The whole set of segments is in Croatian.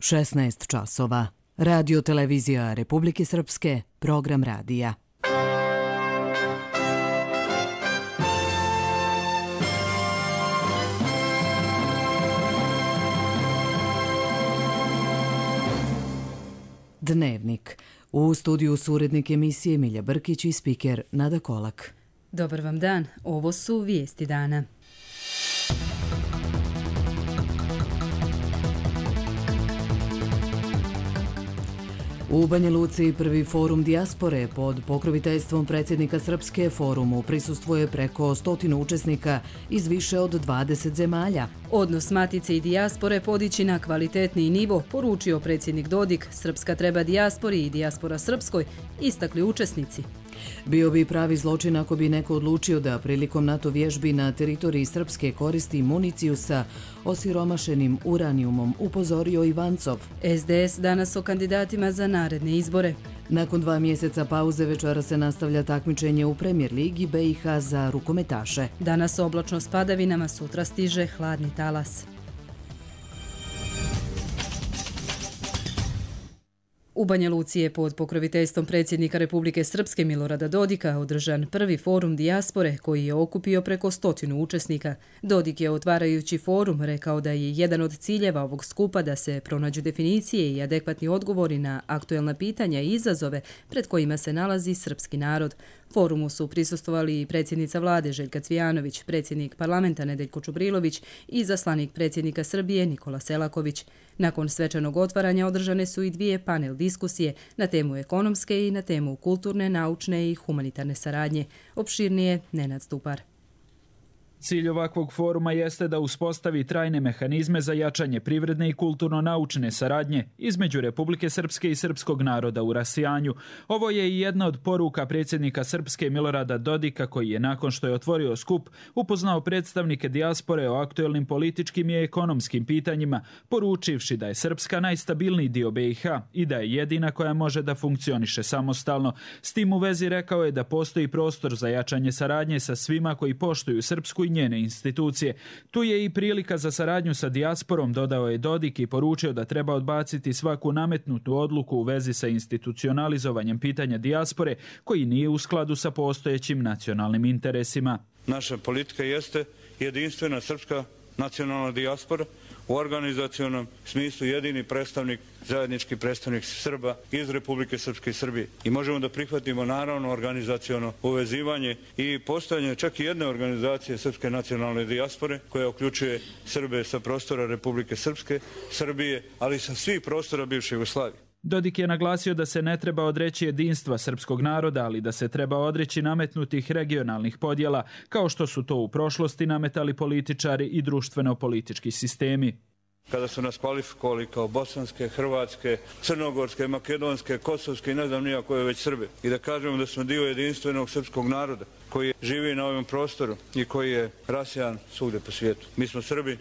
16 časova. Radio Televizija Republike Srpske, program radija. Dnevnik. U studiju su urednik emisije Milja Brkić i spiker Nada Kolak. Dobar vam dan, ovo su vijesti dana. U Banja Luci prvi forum dijaspore pod pokroviteljstvom predsjednika Srpske forumu prisustvuje preko 100 učesnika iz više od 20 zemalja. Odnos matice i dijaspore podići na kvalitetniji nivo, poručio predsjednik Dodik. Srpska treba dijaspori i dijaspora srpskoj, istakli učesnici. Bio bi pravi zločin ako bi neko odlučio da prilikom NATO vježbi na teritoriji Srpske koristi municiju sa osiromašenim uranijumom, upozorio Ivancov. SDS danas o kandidatima za naredne izbore. Nakon 2 mjeseca pauze večera se nastavlja takmičenje u Premier ligi BiH za rukometaše. Danas oblačno s padavinama, sutra stiže hladni talas. U Banja Luci je pod pokroviteljstvom predsjednika Republike Srpske Milorada Dodika održan prvi forum dijaspore koji je okupio preko 100 učesnika. Dodik je otvarajući forum rekao da je jedan od ciljeva ovog skupa da se pronađu definicije i adekvatni odgovori na aktuelna pitanja i izazove pred kojima se nalazi srpski narod. Forumu su prisustvovali i predsjednica vlade Željka Cvijanović, predsjednik parlamenta Nedeljko Čubrilović i izaslanik predsjednika Srbije Nikola Selaković. Nakon svečanog otvaranja održane su i 2 panel diskusije na temu ekonomske i na temu kulturne, naučne i humanitarne saradnje. Opširnije Nenad Stupar. Cilj ovakvog foruma jeste da uspostavi trajne mehanizme za jačanje privredne i kulturno-naučne saradnje između Republike Srpske i srpskog naroda u rasijanju. Ovo je i jedna od poruka predsjednika Srpske Milorada Dodika koji je nakon što je otvorio skup upoznao predstavnike dijaspore o aktuelnim političkim i ekonomskim pitanjima, poručivši da je Srpska najstabilniji dio BiH i da je jedina koja može da funkcioniše samostalno. S tim u vezi rekao je da postoji prostor za jačanje saradnje sa svima koji poštuju Srpsku i njene institucije. Tu je i prilika za saradnju sa dijasporom, dodao je Dodik i poručio da treba odbaciti svaku nametnutu odluku u vezi sa institucionalizovanjem pitanja dijaspore koji nije u skladu sa postojećim nacionalnim interesima. Naša politika jeste jedinstvena srpska nacionalna dijaspora, u organizacionom smislu jedini predstavnik, zajednički predstavnik Srba iz Republike Srpske i Srbije. I možemo da prihvatimo naravno organizaciono uvezivanje i postojanje čak i jedne organizacije srpske nacionalne dijaspore koja uključuje Srbe sa prostora Republike Srpske, Srbije, ali sa svih prostora bivše Jugoslavije. Dodik je naglasio da se ne treba odreći jedinstva srpskog naroda, ali da se treba odreći nametnutih regionalnih podjela, kao što su to u prošlosti nametali političari i društveno-politički sistemi. Kada su nas kvalifikovali kao bosanske, hrvatske, crnogorske, makedonske, kosovske i ne znam nija koje već Srbe. I da kažemo da smo dio jedinstvenog srpskog naroda koji živi na ovom prostoru i koji je rasijan svugdje po svijetu. Mi smo Srbi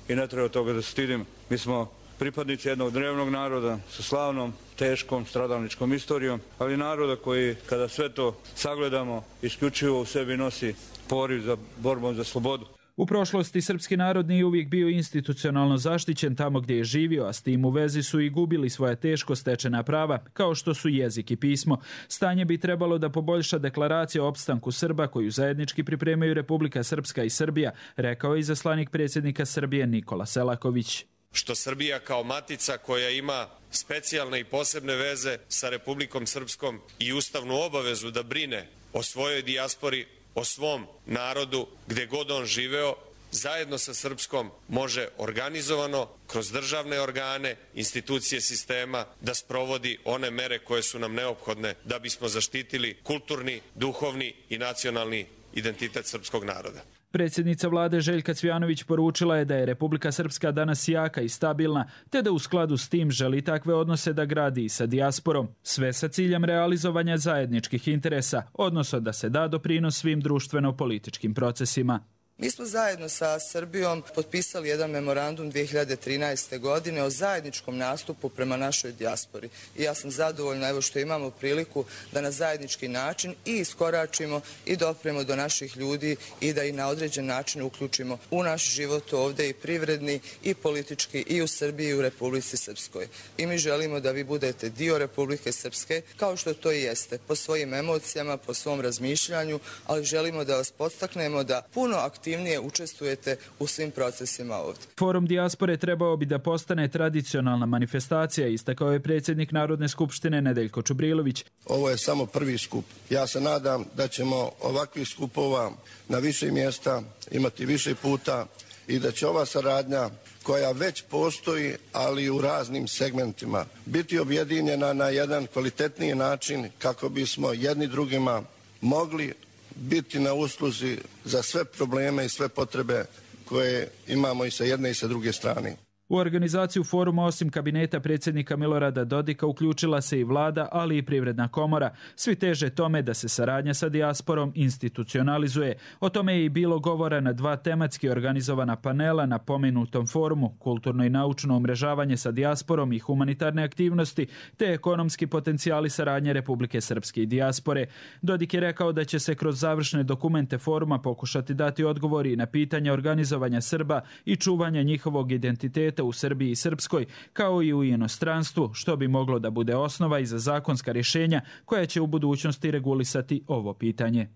i ne treba toga da se stidimo. Mi smo pripadnici jednog drevnog naroda sa slavnom, teškom, stradalničkom istorijom, ali naroda koji, kada sve to sagledamo, isključivo u sebi nosi poriv za borbom za slobodu. U prošlosti srpski narod nije uvijek bio institucionalno zaštićen tamo gdje je živio, a s tim u vezi su i gubili svoja teško stečena prava, kao što su jezik i pismo. Stanje bi trebalo da poboljša deklaracija o opstanku Srba koju zajednički pripremaju Republika Srpska i Srbija, rekao je izaslanik predsjednika Srbije Nikola Selaković. Što Srbija kao matica koja ima specijalne i posebne veze sa Republikom Srpskom i ustavnu obavezu da brine o svojoj dijaspori, o svom narodu, gdje god on živeo, zajedno sa Srpskom može organizovano, kroz državne organe, institucije sistema, da sprovodi one mere koje su nam neophodne da bismo zaštitili kulturni, duhovni i nacionalni identitet srpskog naroda. Predsjednica vlade Željka Cvijanović poručila je da je Republika Srpska danas jaka i stabilna, te da u skladu s tim želi takve odnose da gradi i sa dijasporom, sve sa ciljem realizovanja zajedničkih interesa, odnosno da se da doprinos svim društveno-političkim procesima. Mi smo zajedno sa Srbijom potpisali jedan memorandum 2013. godine o zajedničkom nastupu prema našoj dijaspori. I ja sam zadovoljna evo što imamo priliku da na zajednički način i iskoračimo i dopremo do naših ljudi i da ih na određen način uključimo u naš život ovdje i privredni i politički i u Srbiji i u Republici Srpskoj. I mi želimo da vi budete dio Republike Srpske kao što to i jeste, po svojim emocijama, po svom razmišljanju, ali želimo da vas podstaknemo da puno aktivnije učestvujete u svim procesima ovdje. Forum dijaspore trebao bi da postane tradicionalna manifestacija, istakao je predsjednik Narodne skupštine Nedeljko Čubrilović. Ovo je samo prvi skup. Ja se nadam da ćemo ovakvih skupova na više mjesta imati više puta i da će ova saradnja koja već postoji, ali u raznim segmentima, biti objedinjena na jedan kvalitetniji način kako bismo jedni drugima mogli biti na usluzi za sve probleme i sve potrebe koje imamo i sa jedne i sa druge strane. U organizaciju foruma osim kabineta predsjednika Milorada Dodika uključila se i vlada, ali i Privredna komora. Svi teže tome da se saradnja sa dijasporom institucionalizuje. O tome je i bilo govora na 2 tematski organizovana panela na pomenutom forumu, kulturno i naučno umrežavanje sa dijasporom i humanitarne aktivnosti, te ekonomski potencijali saradnje Republike Srpske i dijaspore. Dodik je rekao da će se kroz završne dokumente foruma pokušati dati odgovori na pitanja organizovanja Srba i čuvanja njihovog identiteta u Srbiji i Srpskoj, kao i u inostranstvu, što bi moglo da bude osnova i za zakonska rješenja koja će u budućnosti regulisati ovo pitanje.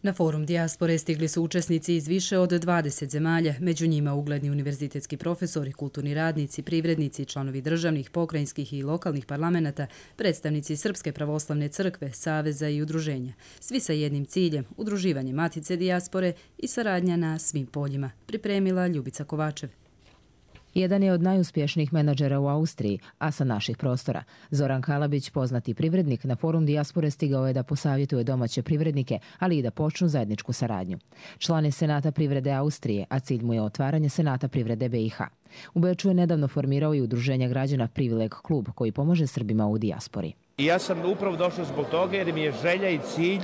Na forum dijaspore stigli su učesnici iz više od 20 zemalja, među njima ugledni univerzitetski profesori, kulturni radnici, privrednici, članovi državnih, pokrajinskih i lokalnih parlamenata, predstavnici Srpske pravoslavne crkve, saveza i udruženja. Svi sa jednim ciljem, udruživanje matice dijaspore i saradnja na svim poljima, pripremila Ljubica Kovačev. Jedan je od najuspješnijih menadžera u Austriji, a sa naših prostora. Zoran Kalabić, poznati privrednik, na forum dijaspore stigao je da posavjetuje domaće privrednike, ali i da počnu zajedničku saradnju. Član je Senata privrede Austrije, a cilj mu je otvaranje Senata privrede BiH. U Beču je nedavno formirao i udruženje građana Privileg klub, koji pomaže Srbima u dijaspori. I ja sam upravo došao zbog toga jer mi je želja i cilj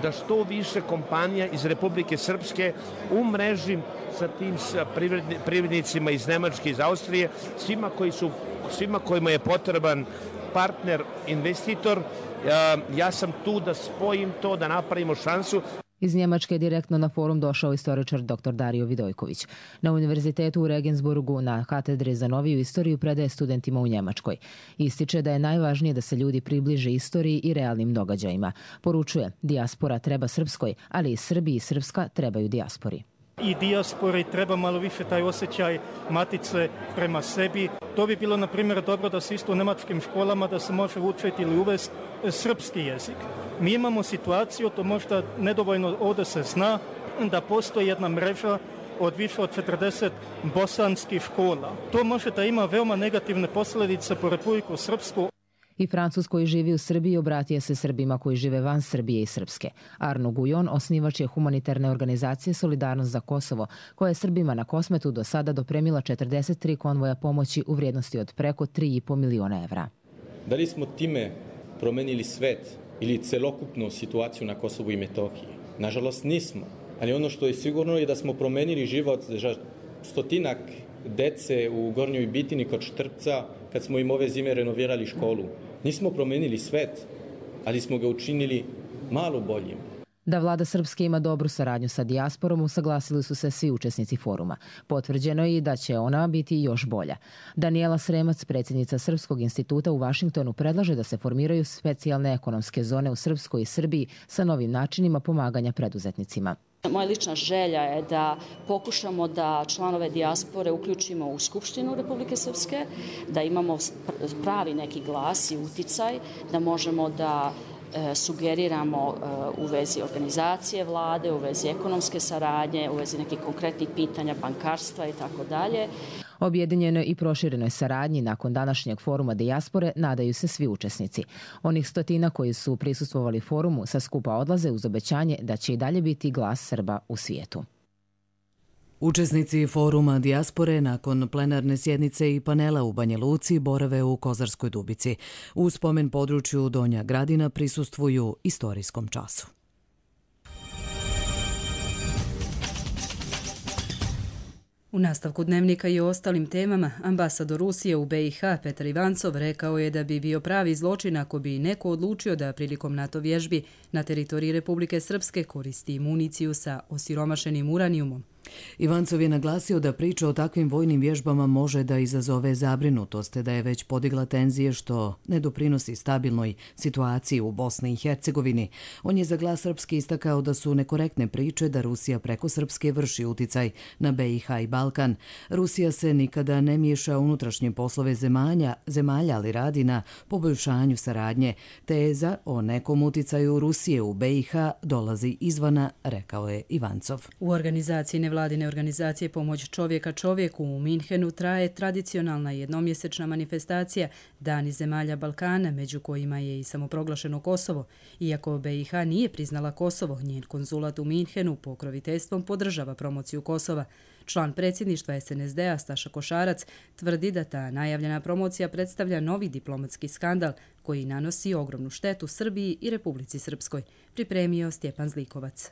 da što više kompanija iz Republike Srpske umrežim sa tim privrednicima iz Nemačke, iz Austrije, svima kojima je potreban partner, investitor. Ja sam tu da spojim to, da napravimo šansu. Iz Njemačke je direktno na forum došao istoričar dr. Dario Vidojković. Na univerzitetu u Regensburgu na katedri za noviju istoriju predaje studentima u Njemačkoj. Ističe da je najvažnije da se ljudi približe istoriji i realnim događajima. Poručuje, dijaspora treba Srpskoj, ali i Srbi i Srpska trebaju dijaspori. I dijaspori treba malo više taj osjećaj matice prema sebi. To bi bilo, na primjer, dobro da se isto u nemačkim školama da se može učiti ili uvesti srpski jezik. Mi imamo situaciju, to možda nedovoljno ovdje se zna, da postoji jedna mreža od više od 40 bosanskih škola. To može da ima veoma negativne posljedice po Republiku Srpsku. I Francuz koji živi u Srbiji obratio se Srbima koji žive van Srbije i Srpske. Arno Gujon, osnivač je humanitarne organizacije Solidarnost za Kosovo, koja je Srbima na Kosmetu do sada dopremila 43 konvoja pomoći u vrijednosti od preko 3,5 miliona evra. Da li smo time promenili svet ili celokupnu situaciju na Kosovu i Metohiji? Nažalost nismo, ali ono što je sigurno je da smo promenili život stotinak dece u Gornjoj Bitini kod Štrpca kad smo im ove zime renovirali školu. Nismo promenili svet, ali smo ga učinili malo boljim. Da vlada Srpske ima dobru saradnju sa dijasporom, usaglasili su se svi učesnici foruma. Potvrđeno je i da će ona biti još bolja. Daniela Sremac, predsjednica Srpskog instituta u Vašingtonu, predlaže da se formiraju specijalne ekonomske zone u Srpskoj i Srbiji sa novim načinima pomaganja preduzetnicima. Moja lična želja je da pokušamo da članove dijaspore uključimo u Skupštinu Republike Srpske, da imamo pravi neki glas i uticaj, da možemo da sugeriramo u vezi organizacije vlade, u vezi ekonomske saradnje, u vezi nekih konkretnih pitanja bankarstva i tako dalje. Objedinjenoj i proširenoj saradnji nakon današnjeg foruma dijaspore nadaju se svi učesnici. Onih stotina koji su prisustvovali forumu sa skupa odlaze uz obećanje da će i dalje biti glas Srba u svijetu. Učesnici foruma dijaspore nakon plenarne sjednice i panela u Banja Luci borave u Kozarskoj Dubici. U spomen području Donja Gradina prisustvuju istorijskom času. U nastavku dnevnika i o ostalim temama, ambasador Rusije u BiH Petar Ivancov rekao je da bi bio pravi zločin ako bi neko odlučio da prilikom NATO vježbi na teritoriji Republike Srpske koristi municiju sa osiromašenim uranijumom. Ivancov je naglasio da priča o takvim vojnim vježbama može da izazove zabrinutost, da je već podigla tenzije što ne doprinosi stabilnoj situaciji u Bosni i Hercegovini. On je za Glas srpski istakao da su nekorektne priče da Rusija preko Srpske vrši uticaj na BiH i Balkan. Rusija se nikada ne miješa u unutrašnje poslove zemalja, ali radi na poboljšanju saradnje. Teza o nekom uticaju Rusije u BiH dolazi izvana, rekao je Ivancov. U organizaciji nevladine organizacije Pomoć čovjeka čovjeku u Minhenu traje tradicionalna jednomjesečna manifestacija Dani zemalja Balkana, među kojima je i samoproglašeno Kosovo. Iako BiH nije priznala Kosovo, njen konzulat u Minhenu pokroviteljstvom podržava promociju Kosova. Član predsjedništva SNSD-a Staša Košarac tvrdi da ta najavljena promocija predstavlja novi diplomatski skandal koji nanosi ogromnu štetu Srbiji i Republici Srpskoj, pripremio Stjepan Zlikovac.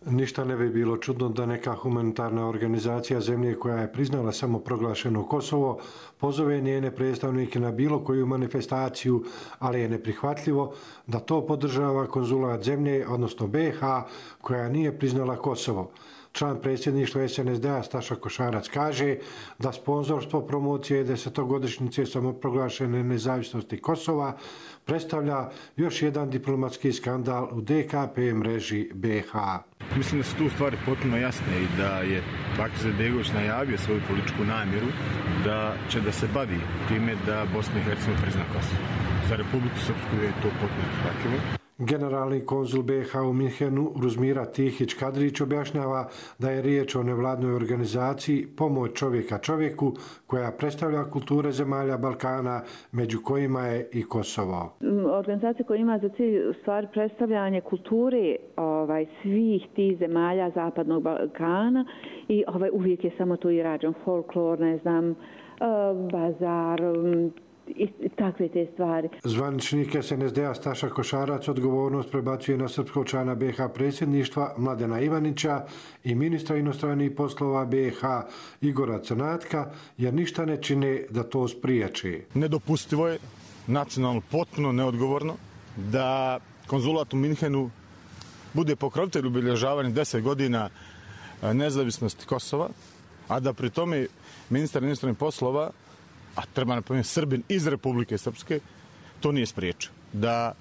Ništa ne bi bilo čudno da neka humanitarna organizacija zemlje koja je priznala samoproglašeno Kosovo pozove njene predstavnike na bilo koju manifestaciju, ali je neprihvatljivo da to podržava konzulat zemlje, odnosno BiH, koja nije priznala Kosovo. Član predsjedništva SNSD-a Staša Košarac kaže da sponzorstvo promocije 10-godišnjice samoproglašene nezavisnosti Kosova predstavlja još jedan diplomatski skandal u DKP mreži BiH. Mislim da su tu stvari potpuno jasne i da je Bakir Izetbegović najavio svoju političku namjeru da će da se bavi time da Bosna i Hercegovina prizna Kosovo. Za Republiku Srpsku je to potpuno prihvatljivo. Generalni konzul BiH u Minhenu Ruzmira Tihić-Kadrić objašnjava da je riječ o nevladnoj organizaciji Pomoć čovjeka čovjeku koja predstavlja kulture zemalja Balkana, među kojima je i Kosovo. Organizacija koja ima za cilj u stvari predstavljanje kulture svih tih zemalja Zapadnog Balkana i uvijek je samo to i rađen folklor, ne znam, bazar, i takve te stvari. Zvaničnik SNSD-a Staša Košarac odgovornost prebacuje na srpskog člana BiH predsjedništva Mladena Ivanića i ministra inostranih poslova BiH Igora Crnatka, jer ništa ne čine da to spriječi. Nedopustivo je, nacionalno potpuno neodgovorno, da konzulat u Minhenu bude pokrovitelj obilježavanja 10 godina nezavisnosti Kosova, a da pri tome ministar inostranih poslova, a treba napomenuti Srbin iz Republike Srpske, to nije spriječio. Da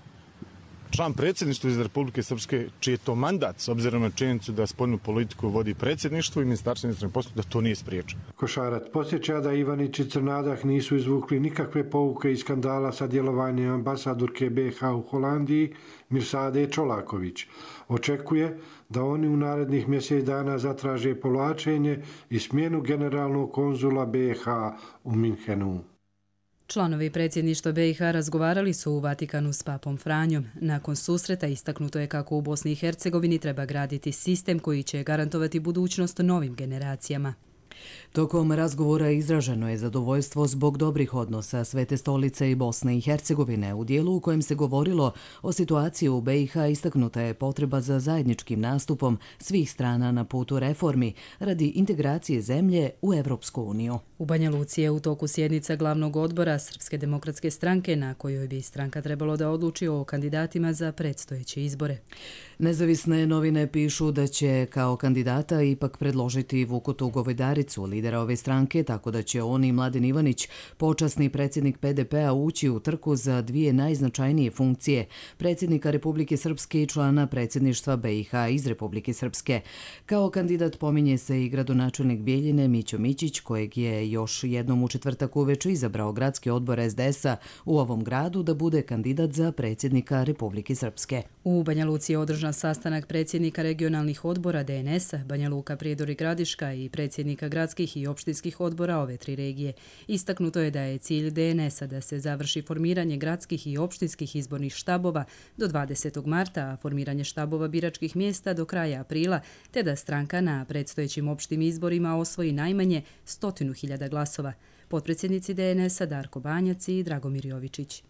član predsjedništva iz Republike Srpske, čiji je to mandat, s obzirom na činjenicu da spoljnu politiku vodi predsjedništvo i ministarstvo inostranih poslova, da to nije spriječio. Košarac podsjeća da Ivanić i Crnadak nisu izvukli nikakve pouke iz skandala sa djelovanjem ambasadorke BiH u Holandiji Mirsade Čolaković. Očekuje da oni u narednih mjesec dana zatraže povlačenje i smjenu generalnog konzula BiH u Minhenu. Članovi predsjedništva BiH razgovarali su u Vatikanu s papom Franjom. Nakon susreta istaknuto je kako u Bosni i Hercegovini treba graditi sistem koji će garantovati budućnost novim generacijama. Tokom razgovora izraženo je zadovoljstvo zbog dobrih odnosa Svete stolice i Bosne i Hercegovine. U dijelu u kojem se govorilo o situaciji u BiH istaknuta je potreba za zajedničkim nastupom svih strana na putu reformi radi integracije zemlje u Evropsku uniju. U Banja Luci je u toku sjednica glavnog odbora Srpske demokratske stranke na kojoj bi stranka trebalo da odluči o kandidatima za predstojeće izbore. Nezavisne novine pišu da će kao kandidata ipak predložiti Vukotu Govedaricu, lidera ove stranke, tako da će on i Mladen Ivanić, počasni predsjednik PDP-a, ući u trku za dvije najznačajnije funkcije, predsjednika Republike Srpske i člana predsjedništva BiH iz Republike Srpske. Kao kandidat pominje se i gradonačelnik Bijeljine Mićo Mićić, kojeg je još jednom u četvrtak uveče izabrao gradski odbor SDS-a u ovom gradu da bude kandidat za predsjednika Republike Srpske. U Banja Luci je održan sastanak predsjednika regionalnih odbora DNS-a, Banja Luka, Prijedor i Gradiška i predsjednika gradskih i opštinskih odbora ove tri regije. Istaknuto je da je cilj DNS-a da se završi formiranje gradskih i opštinskih izbornih štabova do 20. marta, a formiranje štabova biračkih mjesta do kraja aprila, te da stranka na predstojećim opštim izborima osvoji najmanje 100.000 glasova. Potpredsjednici DNS-a Darko Banjac i Dragomir Jovičić.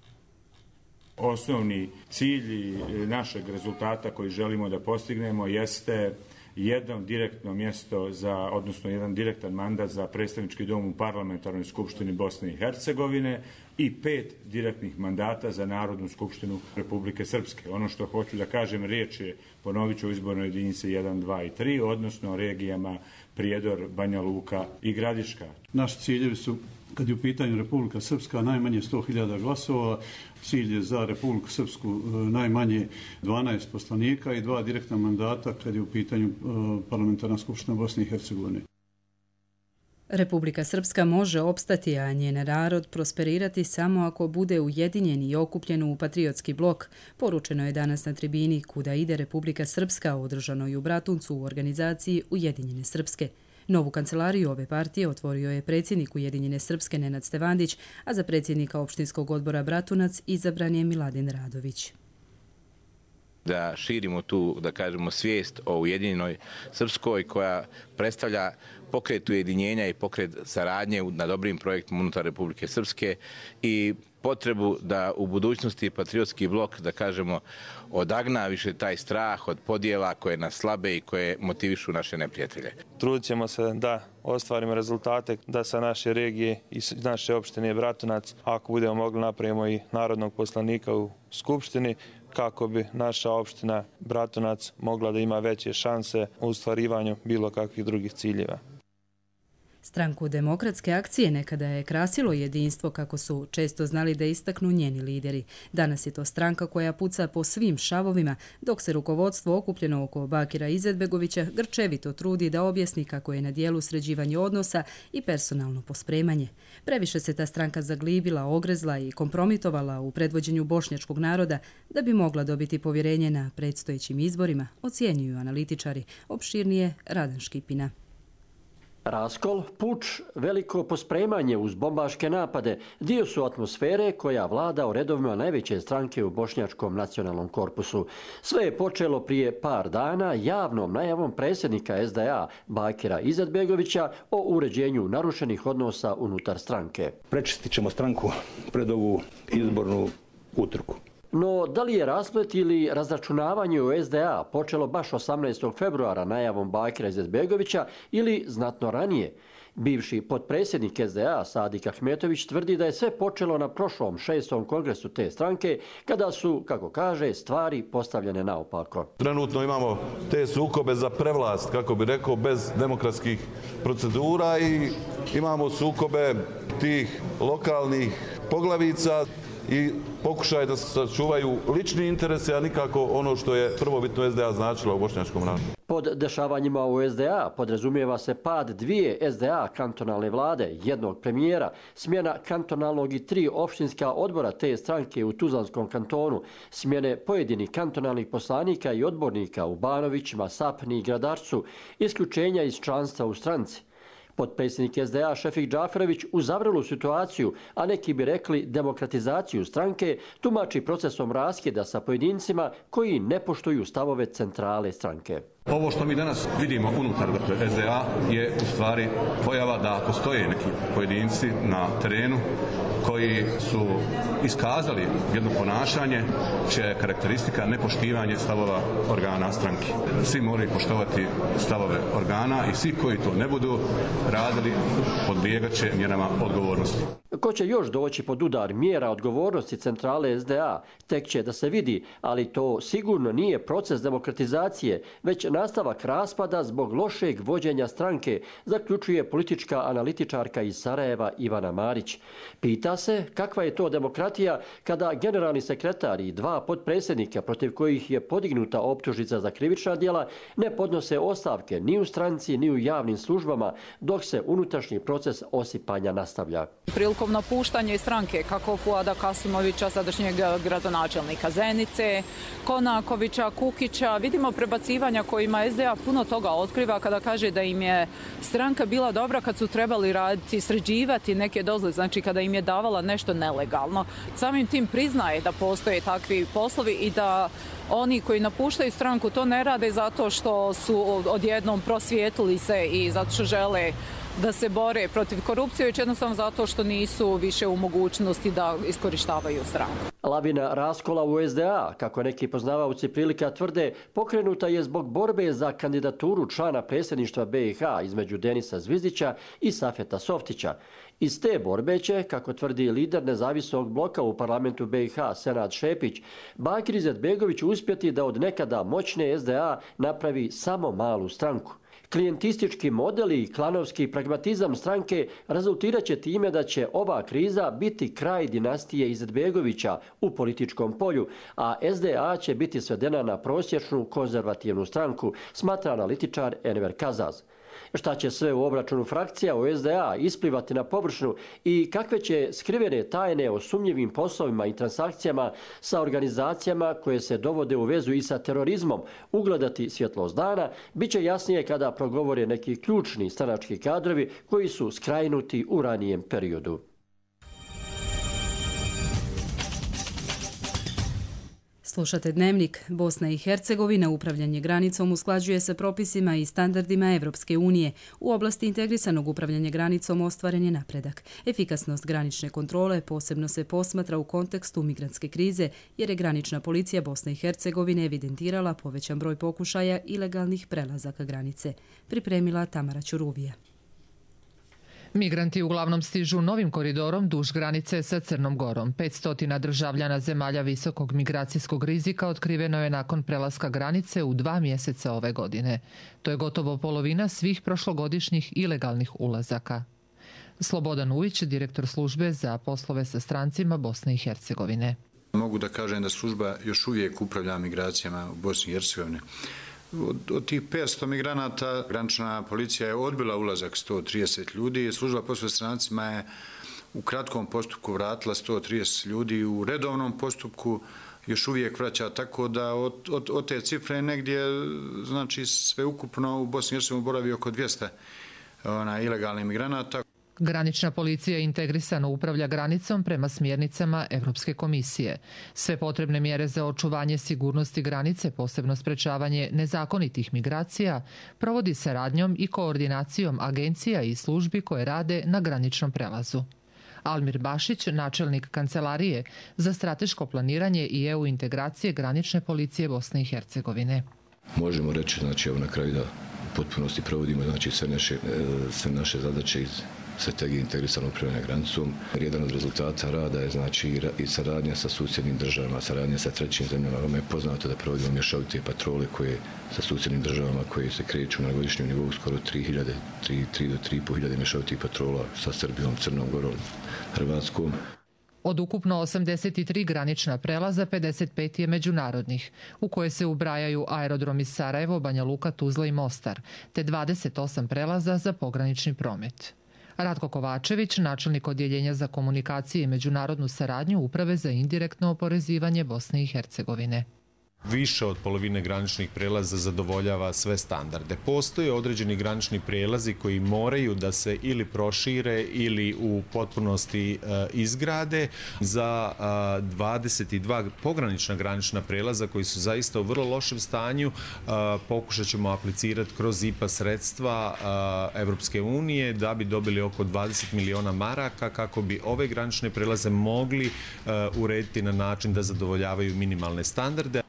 Osnovni cilj našeg rezultata koji želimo da postignemo jeste jedno direktno mjesto odnosno jedan direktan mandat za predstavnički dom u Parlamentarnoj skupštini Bosne i Hercegovine i 5 direktnih mandata za Narodnu skupštinu Republike Srpske. Ono što hoću da kažem, riječ je, ponovit ću, o izbornoj jedinici 1, 2 i 3, odnosno regijama Prijedor, Banja Luka i Gradiška. Naši ciljevi su, kad je u pitanju Republika Srpska, najmanje 100.000 glasova, cilj je za Republiku Srpsku najmanje 12 poslanika i 2 direktna mandata kad je u pitanju Parlamentarna skupština Bosne i Hercegovine. Republika Srpska može opstati, a njen narod prosperirati samo ako bude ujedinjen i okupljen u patriotski blok, poručeno je danas na tribini Kuda ide Republika Srpska, održanoj u Bratuncu u organizaciji Ujedinjene Srpske. Novu kancelariju ove partije otvorio je predsjednik Ujedinjene Srpske Nenad Stevandić, a za predsjednika opštinskog odbora Bratunac izabran je Miladin Radović. Da širimo tu, da kažemo, svijest o Ujedinjenoj Srpskoj koja predstavlja pokret ujedinjenja i pokret saradnje na dobrim projektima unutar Republike Srpske i potrebu da u budućnosti patriotski blok, da kažemo, odagna više taj strah od podjela koje nas slabe i koje motivišu naše neprijatelje. Trudit ćemo se da ostvarimo rezultate, da sa naše regije i naše opštine Bratunac, ako budemo mogli, napravimo i narodnog poslanika u Skupštini, kako bi naša opština Bratunac mogla da ima veće šanse u ostvarivanju bilo kakvih drugih ciljeva. Stranku Demokratske akcije nekada je krasilo jedinstvo, kako su često znali da istaknu njeni lideri. Danas je to stranka koja puca po svim šavovima, dok se rukovodstvo okupljeno oko Bakira Izetbegovića grčevito trudi da objasni kako je na dijelu sređivanje odnosa i personalno pospremanje. Previše se ta stranka zaglibila, ogrezla i kompromitovala u predvođenju bošnjačkog naroda da bi mogla dobiti povjerenje na predstojećim izborima, ocjenjuju analitičari. Opširnije Radan Škipina. Raskol, puč, veliko pospremanje uz bombaške napade dio su atmosfere koja vlada u redovima najveće stranke u bošnjačkom nacionalnom korpusu. Sve je počelo prije par dana javnom najavom predsjednika SDA Bakira Izetbegovića o uređenju narušenih odnosa unutar stranke. Prečistit ćemo stranku pred ovu izbornu utrku. No, da li je rasplet ili razračunavanje u SDA počelo baš 18. februara najavom Bakira Izetbegovića ili znatno ranije? Bivši potpredsjednik SDA Sadik Ahmetović tvrdi da je sve počelo na prošlom 6. kongresu te stranke, kada su, kako kaže, stvari postavljene naopako. Trenutno imamo te sukobe za prevlast, kako bi rekao, bez demokratskih procedura i imamo sukobe tih lokalnih poglavica i pokušaj da se sačuvaju lični interesi, a nikako ono što je prvobitno SDA značila u bošnjačkom narodu. Pod dešavanjima u SDA podrazumijeva se pad 2 SDA kantonalne vlade, jednog premijera, smjena kantonalnog i 3 opštinska odbora te stranke u Tuzlanskom kantonu, smjene pojedinih kantonalnih poslanika i odbornika u Banovićima, Sapni i Gradarcu, isključenja iz članstva u stranci. Potpredsjednik SDA Šefik Džaferović u zavrelu situaciju, a neki bi rekli demokratizaciju stranke, tumači procesom raskida sa pojedincima koji ne poštuju stavove centrale stranke. Ovo što mi danas vidimo unutar SDA je u stvari pojava da postoje neki pojedinci na terenu koji su iskazali jedno ponašanje čija je karakteristika nepoštivanje stavova organa stranke. Svi moraju poštovati stavove organa i svi koji to ne budu radili podlijegat će mjerama odgovornosti. Ko će još doći pod udar mjera odgovornosti centrale SDA, tek će da se vidi, ali to sigurno nije proces demokratizacije, već nastavak raspada zbog lošeg vođenja stranke, zaključuje politička analitičarka iz Sarajeva Ivana Marić. Pita se kakva je to demokratija kada generalni sekretar i 2 potpredsjednika protiv kojih je podignuta optužnica za krivična djela ne podnose ostavke ni u stranci ni u javnim službama, dok se unutrašnji proces osipanja nastavlja. Prilikom napuštanja stranke kako Fuada Kasimovića, sadašnjeg gradonačelnika Zenice, Konakovića, Kukića, vidimo prebacivanja kojima SDA puno toga otkriva kada kaže da im je stranka bila dobra kad su trebali raditi, sređivati neke dozvole, znači kada im je davala nešto nelegalno. Samim tim priznaje da postoje takvi poslovi i da oni koji napuštaju stranku to ne rade zato što su odjednom prosvijetlili se i zato što žele da se bore protiv korupcije, već jednostavno zato što nisu više u mogućnosti da iskorištavaju stranku. Lavina raskola u SDA, kako neki poznavaoci prilika tvrde, pokrenuta je zbog borbe za kandidaturu člana predsjedništva BiH između Denisa Zvizdića i Safeta Softića. Iz te borbe će, kako tvrdi lider nezavisnog bloka u parlamentu BiH Senad Šepić, Bakir Izetbegović uspjeti da od nekada moćne SDA napravi samo malu stranku. Klijentistički model i klanovski pragmatizam stranke rezultirat će time da će ova kriza biti kraj dinastije Izetbegovića u političkom polju, a SDA će biti svedena na prosječnu konzervativnu stranku, smatra analitičar Enver Kazaz. Šta će sve u obračunu frakcija u SDA isplivati na površinu i kakve će skrivene tajne o sumnjivim poslovima i transakcijama sa organizacijama koje se dovode u vezu i sa terorizmom ugledati svjetlost dana, bit će jasnije kada progovore neki ključni stranački kadrovi koji su skrajnuti u ranijem periodu. Slušate Dnevnik. Bosna i Hercegovina upravljanje granicom usklađuje se propisima i standardima Evropske unije. U oblasti integrisanog upravljanja granicom ostvaren je napredak. Efikasnost granične kontrole posebno se posmatra u kontekstu migrantske krize, jer je granična policija Bosne i Hercegovine evidentirala povećan broj pokušaja ilegalnih prelazaka granice. Pripremila Tamara Ćuruvija. Migranti uglavnom stižu novim koridorom duž granice sa Crnom Gorom. 500 državljana zemalja visokog migracijskog rizika otkriveno je nakon prelaska granice u 2 mjeseca ove godine. To je gotovo polovina svih prošlogodišnjih ilegalnih ulazaka. Slobodan Ujić, direktor službe za poslove sa strancima Bosne i Hercegovine. Mogu da kažem da služba još uvijek upravlja migracijama u Bosni i Hercegovini. Od tih 500 migranata granična policija je odbila ulazak 130 ljudi. Služba poslova strancima je u kratkom postupku vratila 130 ljudi, u redovnom postupku još uvijek vraća, tako da od te cifre negdje, znači sve ukupno u Bosni i Hercegovini boravi oko 200 ilegalnih migranata. Granična policija integrisano upravlja granicom prema smjernicama Evropske komisije. Sve potrebne mjere za očuvanje sigurnosti granice, posebno sprečavanje nezakonitih migracija, provodi saradnjom i koordinacijom agencija i službi koje rade na graničnom prelazu. Almir Bašić, načelnik Kancelarije za strateško planiranje i EU integracije granične policije Bosne i Hercegovine. Možemo reći, znači, evo na kraju da u potpunosti provodimo, znači, sve naše zadaće iz strategije integrisanog upravljanja granicom. Jedan od rezultata rada je, znači, i saradnja sa susjednim državama, saradnja sa trećim zemljama. Vama je poznato da provodimo mješovite patrole koje sa susjednim državama koje se kreću na godišnjem nivou skoro 3 do 3.500 mješovitih patrola sa Srbijom, Crnom Gorom, Hrvatskom. Od ukupno 83 granična prelaza, 55 je međunarodnih, u koje se ubrajaju aerodromi Sarajevo, Banja Luka, Tuzla i Mostar, te 28 prelaza za pogranični promet. Ratko Kovačević, načelnik odjeljenja za komunikacije i međunarodnu saradnju Uprave za indirektno oporezivanje Bosne i Hercegovine. Više od polovine graničnih prelaza zadovoljava sve standarde. Postoje određeni granični prelazi koji moraju da se ili prošire ili u potpunosti izgrade. Za 22 pogranična granična prelaza koji su zaista u vrlo lošem stanju pokušat ćemo aplicirati kroz IPA sredstva Evropske unije da bi dobili oko 20 miliona maraka kako bi ove granične prelaze mogli urediti na način da zadovoljavaju minimalne standarde.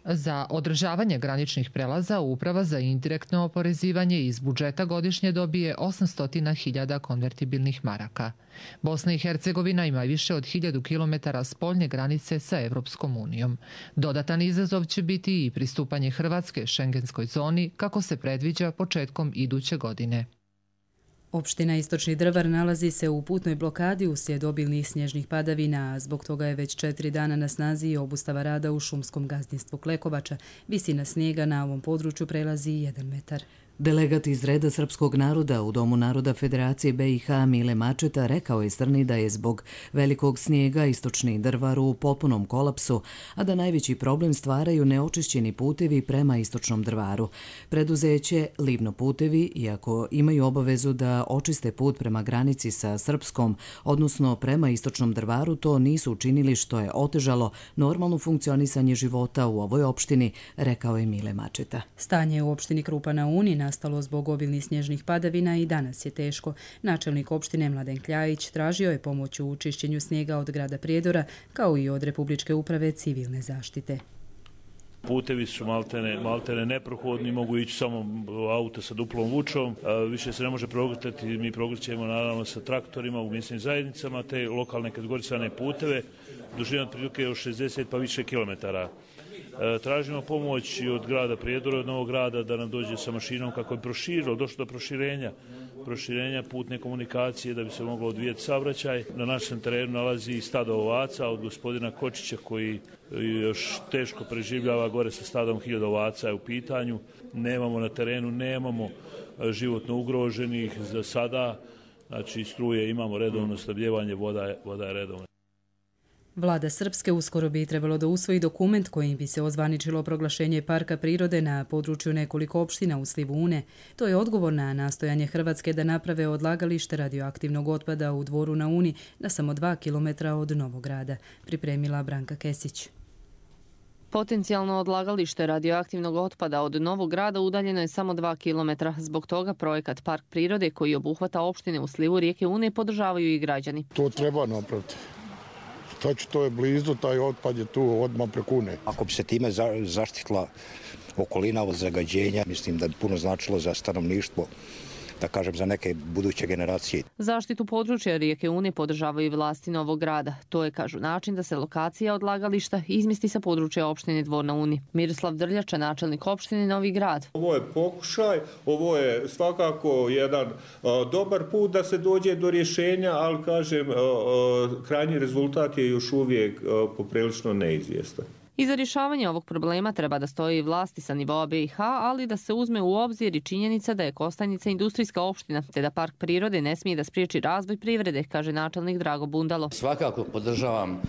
Za održavanje graničnih prelaza Uprava za indirektno oporezivanje iz budžeta godišnje dobije 800.000 konvertibilnih maraka. Bosna i Hercegovina ima više od 1000 km spoljne granice sa Evropskom unijom. Dodatan izazov će biti i pristupanje Hrvatske šengenskoj zoni kako se predviđa početkom iduće godine. Opština Istočni Drvar nalazi se u putnoj blokadi uslijed obilnih snježnih padavina, a zbog toga je već 4 dana na snazi i obustava rada u šumskom gazdinstvu Klekovača. Visina snijega na ovom području prelazi 1 metar. Delegat iz reda srpskog naroda u Domu naroda Federacije BiH Mile Mačeta rekao je Strni da je zbog velikog snijega Istočni Drvar u potpunom kolapsu, a da najveći problem stvaraju neočišćeni putevi prema Istočnom Drvaru. Preduzeće Livno putevi, iako imaju obavezu da očiste put prema granici sa Srpskom, odnosno prema Istočnom Drvaru, to nisu učinili, što je otežalo normalno funkcionisanje života u ovoj opštini, rekao je Mile Mačeta. Stanje u opštini Krupa na Uni nastalo zbog obilnih snježnih padavina i danas je teško. Načelnik opštine Mladen Kljajić tražio je pomoć u čišćenju snijega od grada Prijedora, kao i od Republičke uprave civilne zaštite. Putevi su maltene neprohodni, mogu ići samo auto sa duplom vučom, više se ne može progrtati, mi progrćemo naravno sa traktorima u mjesnim zajednicama, te lokalne kategorisane puteve, dužine otprilike od 60 pa više kilometara. Tražimo pomoć i od grada Prijedora, od Novog Grada, da nam dođe sa mašinom kako je došlo do proširenja putne komunikacije da bi se moglo odvijeti saobraćaj. Na našem terenu nalazi stado ovaca od gospodina Kočića koji još teško preživljava gore sa stadom 1000 ovaca je u pitanju. Nemamo na terenu, nemamo životno ugroženih za sada, znači struje imamo redovno, snabdijevanje voda je redovno. Vlada Srpske uskoro bi trebalo da usvoji dokument kojim bi se ozvaničilo proglašenje parka prirode na području nekoliko opština u slivu Une. To je odgovor na nastojanje Hrvatske da naprave odlagalište radioaktivnog otpada u Dvoru na Uni na samo 2 km od Novog Grada, pripremila Branka Kesić. Potencijalno odlagalište radioaktivnog otpada od Novog Grada udaljeno je samo 2 km. Zbog toga projekat Park prirode koji obuhvata opštine u slivu rijeke Une podržavaju i građani. To treba napraviti. To je blizu, taj otpad je tu odmah preko Une. Ako bi se time zaštitila okolina od zagađenja, mislim da bi puno značilo za stanovništvo, da kažem za neke buduće generacije. Zaštitu područja rijeke Une podržavaju i vlasti Novog Grada. To je, kažu, način da se lokacija odlagališta izmesti sa područja opštine Dvor na Uni. Miroslav Drljača, načelnik opštine Novi Grad. Ovo je pokušaj, ovo je svakako jedan dobar put da se dođe do rješenja, ali kažem, krajnji rezultat je još uvijek poprilično neizvjestan. Iza rješavanja ovog problema treba da stoji vlasti sa nivoa BiH, ali da se uzme u obzir i činjenica da je Kostajnica industrijska opština, te da park prirode ne smije da spriječi razvoj privrede, kaže načelnik Drago Bundalo. Svakako podržavam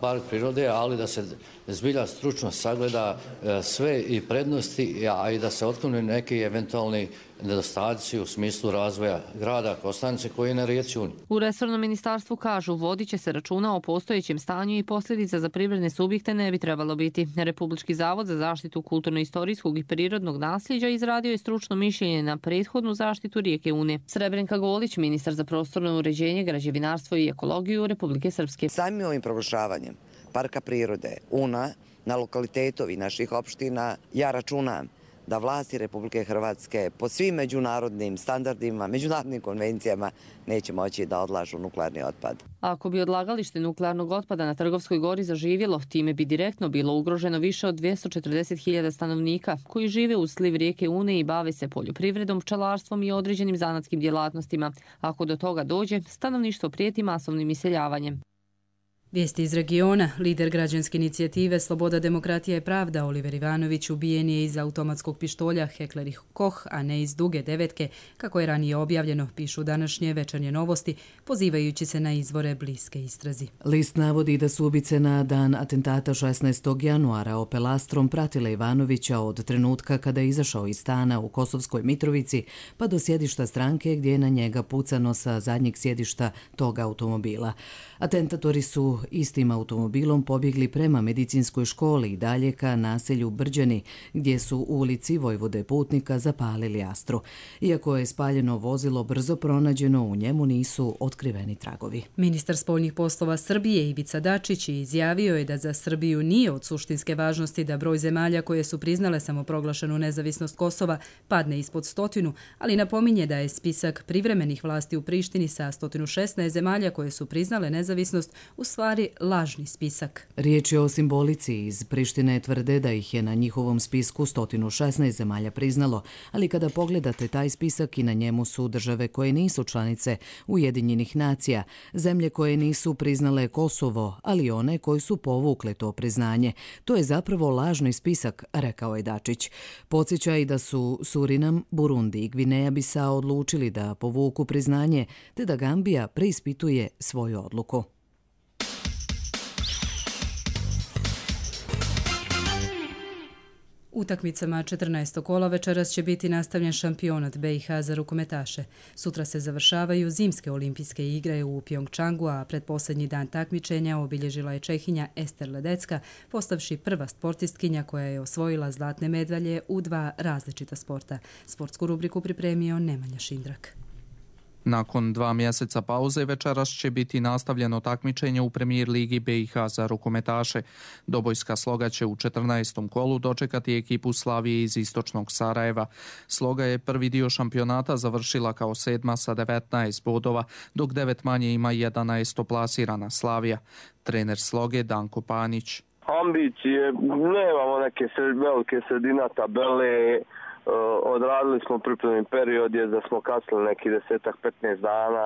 park prirode, ali da se zbilja stručno sagleda sve i prednosti, a i da se otklone neki eventualni nedostaci u smislu razvoja grada Kostajnice koji je na rijeci Uni. U resornom ministarstvu kažu vodit će se računa o postojećem stanju i posljedica za privredne subjekte ne bi trebalo biti. Republički zavod za zaštitu kulturno-istorijskog i prirodnog nasljeđa izradio je stručno mišljenje na prethodnu zaštitu rijeke Une. Srebrenka Golić, ministar za prostorno uređenje, građevinarstvo i ekologiju Republike Srpske. Samim ovim proglašavanjem Parka prirode Una na lokalitetu naših opština ja računam da vlasti Republike Hrvatske po svim međunarodnim standardima, međunarodnim konvencijama neće moći da odlažu nuklearni otpad. Ako bi odlagalište nuklearnog otpada na Trgovskoj gori zaživjelo, time bi direktno bilo ugroženo više od 240.000 stanovnika koji žive uz sliv rijeke Une i bave se poljoprivredom, pčelarstvom i određenim zanatskim djelatnostima. Ako do toga dođe, stanovništvo prijeti masovnim iseljavanjem. Vijesti iz regiona. Lider građanske inicijative Sloboda, demokratija i pravda Oliver Ivanović ubijen je iz automatskog pištolja Heckler & Koch, a ne iz duge devetke, kako je ranije objavljeno, pišu današnje Večernje novosti, pozivajući se na izvore bliske istrazi. List navodi da su ubice na dan atentata 16. januara Opel Astrom pratile Ivanovića od trenutka kada je izašao iz stana u Kosovskoj Mitrovici pa do sjedišta stranke gdje je na njega pucano sa zadnjeg sjedišta tog automobila. Atentatori su istim automobilom pobjegli prema medicinskoj školi i dalje ka naselju Brđani, gdje su u ulici Vojvode Putnika zapalili Astru. Iako je spaljeno vozilo brzo pronađeno, u njemu nisu otkriveni tragovi. Ministar spoljnih poslova Srbije Ivica Dačić izjavio je da za Srbiju nije od suštinske važnosti da broj zemalja koje su priznale samoproglašenu nezavisnost Kosova padne ispod 100, ali napominje da je spisak privremenih vlasti u Prištini sa 116 zemalja koje su priznale nezavisnost u stvari lažni spisak. Riječ je o simbolici. Iz Prištine tvrde da ih je na njihovom spisku 116 zemalja priznalo, ali kada pogledate taj spisak i na njemu su države koje nisu članice Ujedinjenih nacija, zemlje koje nisu priznale Kosovo, ali one koje su povukle to priznanje. To je zapravo lažni spisak, rekao je Dačić. Podsjeća i da su Surinam, Burundi i Gvineja Bisao odlučili da povuku priznanje, te da Gambija preispituje svoju odluku. Utakmicama 14. kola večeras će biti nastavljen šampionat BiH za rukometaše. Sutra se završavaju zimske olimpijske igre u Pjongčangu, a pretposljednji dan takmičenja obilježila je Čehinja Ester Ledecka, postavši prva sportistkinja koja je osvojila zlatne medalje u 2 različita sporta. Sportsku rubriku pripremio Nemanja Šindrak. Nakon 2 mjeseca pauze večeras će biti nastavljeno takmičenje u Premijer ligi BiH za rukometaše. Dobojska Sloga će u 14. kolu dočekati ekipu Slavije iz istočnog Sarajeva. Sloga je prvi dio šampionata završila kao 7. sa 19 bodova, dok 9 manje ima 11. plasirana Slavija. Trener Sloge Danko Panić. Ambicije, nemamo neke velike sredina tabele. Odradili smo pripremni period da smo kasnili neki 10-15 dana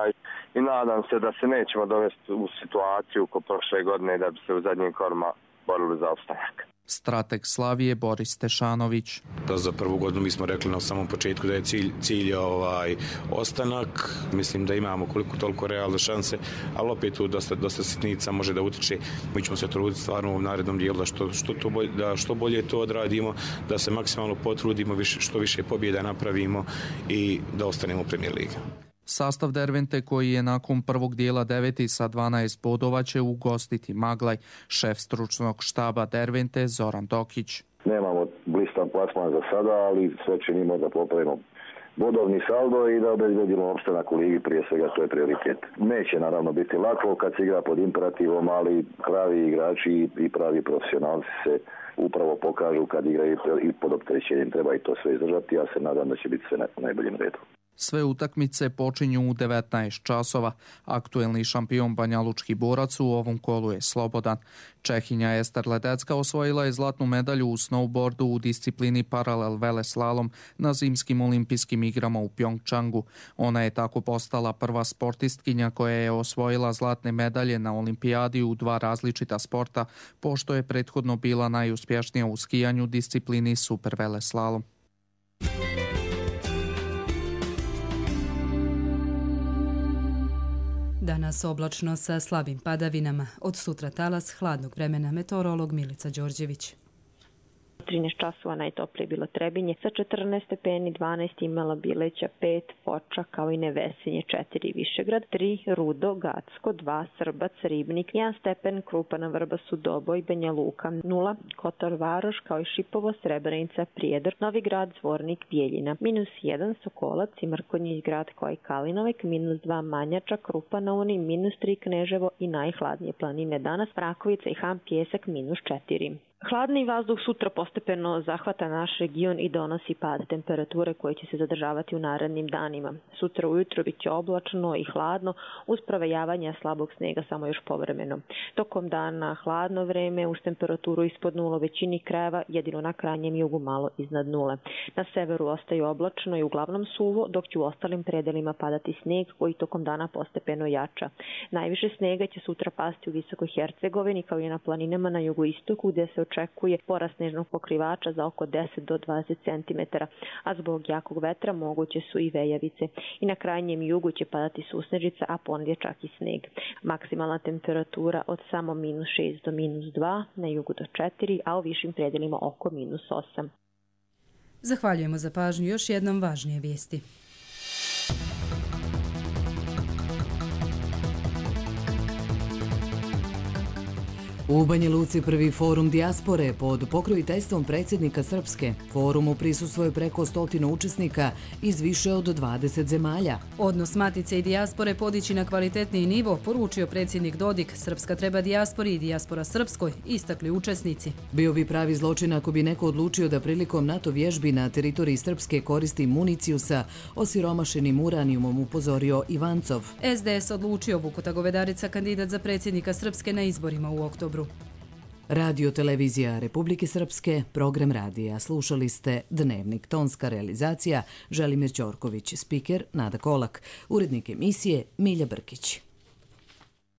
i nadam se da se nećemo dovesti u situaciju ko prošle godine da bi se u zadnjim korima borili za opstanak. Strateg Slavije Boris Tešanović. Za prvu godinu mi smo rekli na samom početku da je cilj ostanak. Mislim da imamo koliko toliko realne šanse, ali opet tu dosta sitnica može da utiče. Mi ćemo se truditi stvarno u narednom dijelu da što bolje to odradimo, da se maksimalno potrudimo, što više pobjeda napravimo i da ostanemo u Premijer ligi. Sastav Dervente koji je nakon prvog dijela 9. sa 12 bodova će ugostiti Maglaj. Šef stručnog štaba Dervente Zoran Dokić. Nemamo blistan plasman za sada, ali sve činimo da popravimo bodovni saldo i da obezbedimo opstanak u ligi, prije svega to je prioritet. Neće naravno biti lako kad se igra pod imperativom, ali pravi igrači i pravi profesionalci se upravo pokažu kad igraju i pod opterećenjem. Treba i to sve izdržati, ja se nadam da će biti sve na najboljem redu. Sve utakmice počinju u 19 časova. Aktuelni šampion banjalučki borac u ovom kolu je Slobodan. Čehinja Ester Ledecka osvojila je zlatnu medalju u snowboardu u disciplini paralel veleslalom na zimskim olimpijskim igrama u Pjongčangu. Ona je tako postala prva sportistkinja koja je osvojila zlatne medalje na olimpijadi u 2 različita sporta, pošto je prethodno bila najuspješnija u skijanju disciplini super veleslalom. Danas oblačno sa slabim padavinama. Od sutra talas hladnog vremena, meteorolog Milica Đorđević. 13 časova najtoplije je bilo Trebinje, sa 14 stepeni, 12 imala Bileća, 5 Foča, kao i Nevesinje, 4 Višegrad, 3 Rudo, Gacko, 2 Srbac, Ribnik, 1 stepen Krupa na Vrbasu, Doboj, Banja Luka, 0 Kotor Varoš, kao i Šipovo, Srebrenica, Prijedor, Novi Grad, Zvornik, Bijeljina, -1 Sokolac i Mrkonjić Grad, kao i Kalinovek, -2 Manjača, Krupa na Uni, -3 Kneževo i najhladnije planine danas, Prakovica i Ham Pjesak, -4. Hladni vazduh sutra postepeno zahvata naš region i donosi pad temperature koje će se zadržavati u narednim danima. Sutra ujutro bit će oblačno i hladno uz provejavanja slabog snega samo još povremeno. Tokom dana hladno vreme uz temperaturu ispod 0 u većini krajeva, jedino na krajnjem jugu malo iznad 0. Na severu ostaju oblačno i uglavnom suvo, dok će u ostalim predelima padati sneg koji tokom dana postepeno jača. Najviše snega će sutra pasti u Visokoj Hercegovini kao i na planinama na jugoistoku gdje se očekuje porast snežnog pokrivača za oko 10 do 20 cm, a zbog jakog vetra moguće su i vejavice. I na krajnjem jugu će padati susnežica, a ponedje čak i sneg. Maksimalna temperatura od samo -6 do -2, na jugu do 4, a u višim predelima oko -8. Zahvaljujemo za pažnju. Još jednom važnije vijesti. U Banja Luci prvi forum dijaspore pod pokroviteljstvom predsjednika Srpske. Forumu prisustvuje preko 100 učesnika iz više od 20 zemalja. Odnos matice i dijaspore podići na kvalitetniji nivo, poručio predsjednik Dodik. Srpska treba dijaspori i dijaspora Srpskoj, istakli učesnici. Bio bi pravi zločin ako bi neko odlučio da prilikom NATO vježbi na teritoriji Srpske koristi municiju sa osiromašenim uranijumom, upozorio Ivancov. SDS odlučio Vukuta Govedarica kandidat za predsjednika Srpske na izborima u oktobru. Radio televizija Republike Srpske, program radija. Slušali ste Dnevnik, tonska realizacija Želimir Ćorković, spiker Nada Kolak, urednik emisije Milja Brkić.